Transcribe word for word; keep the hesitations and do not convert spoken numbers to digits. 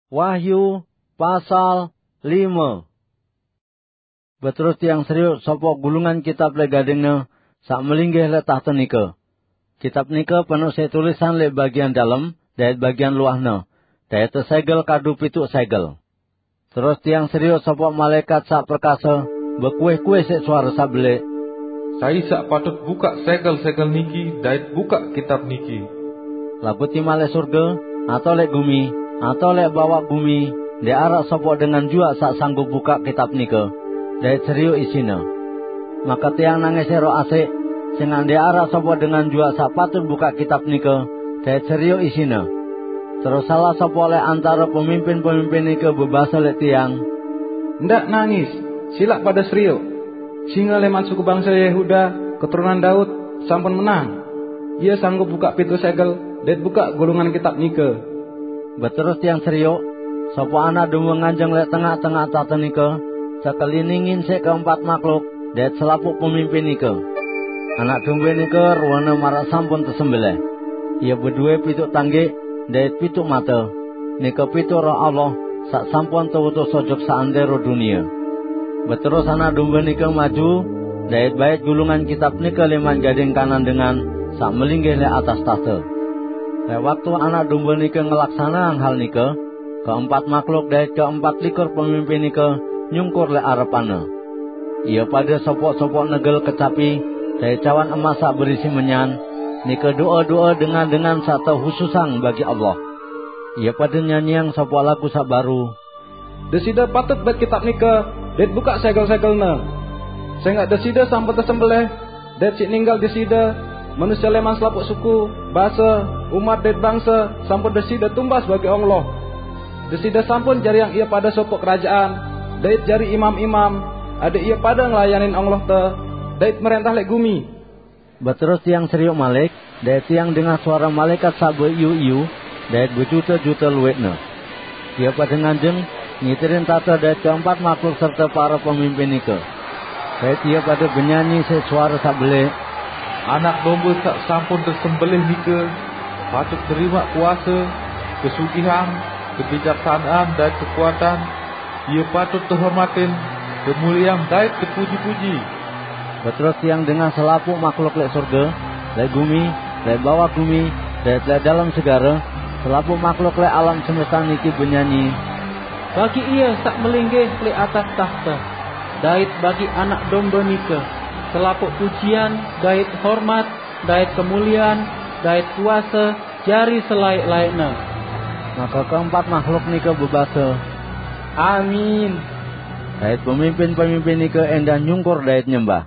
Wahyu pasal lima. Beterus tiang serioq sopoq gulungan kitab leq gadingne saq melinggih leq tahte nike. Kitab nike penoq siq tulisan leq bagian dalem dait bagian luahne, dait tesegel kadu pituq segel. Terus tiang serioq sopoq malaekat saq perkase bekuih-kuih siq suare saq beleq, "Sai saq patut bukaq segel-segel niki dait bukaq kitab niki?" Laguq timaq leq surge, atao leq gumi, atao leq bawaq gumi, ndeq araq sopoq dengan juaq saq sanggup bukaq kitab nike, dait serioq isine. Make tiang nangis siq roh asik, sengaq ndeq araq sopoq dengan juaq saq patut bukaq kitab nike, dait serioq isine. Terus salaq sopoq leq antare pemimpin-pemimpin nike bebase leq tiang, "Ndaq nangis! Silaq pade serioq! Singe leman suku bangse Yehuda, keturunan Daud, sampun menang. Ie sanggup bukaq pintu segel dait bukaq gulungan kitab nike." Beterus tiang serioq, sopoq Anak Dombe nganjeng leq tengaq-tengaq tahte nike, tekeliningin siq keempat mahluk dait selapuq pemimpin nike. Anak Dombe nike ruene maraq sampun tesembelih. Ie bedowe pituq tanggiq dait pituq mate, nike pituq Roh Allah saq sampun teutus ojok seantero dunie. Beterus Anak Dombe nike maju, dait bait gulungan kitab nike leman gading kanan dengan saq melinggih leq atas tahte. Leq waktu Anak Dombe nike ngelaksaneang hal nike, keempat mahluk dait keempat likur pemimpin nike nyungkur leq arepanne. Ie pade sopoq-sopoq negel kecapi dait cawan emas saq berisi menyan, nike do'e-do'e dengan-dengan saq tehususang bagi Allah. Ie pade nyanyiang sopoq lagu saq baru, "Deside patut bait kitab nike dait bukaq segel-segelne, sengaq Deside sampun tesembelih, dait siq ninggal Deside, manusie leman selapuq suku, base, umat dait bangse sampun Deside tumbas bagi Allah. Deside sampun jariang ie pade sopoq kerajaan dait jari imam-imam, adaq ie pade ngelayanin Allah te dait merentah leq gumi." Beterus tiang serioq malik, dait tiang dengah suare malaekat saq beiu-iu dait bejute-jute lueqne. Ie pade nganjeng, ngiterin tahte dait keempat mahluk serte pare pemimpin nike. Dait ie pade benyanyi siq suare saq beleq, "Anak Dombe saq sampun tesembelih nike patut terimaq kuase, kesugihan, kebijaksanaan dait kekuatan. Ie patut tehormatin, temulieang dait tepuji-puji." Beterus tiang dengah selapuq mahluk leq surge, leq gumi, leq bawaq gumi, dait leq dalem segare, selapuq mahluk leq alam semesta niki benyanyi, "Bagi Ie saq melinggih leq atas tahte, dait bagi Anak Dombe nike, selapuq pujian dait hormat dait kemuliean dait kuase jari selaeq-laeqne." Make keempat mahluk nike bebase, "Amin!" Dait pemimpin-pemimpin nike endah nyungkur dait nyembah.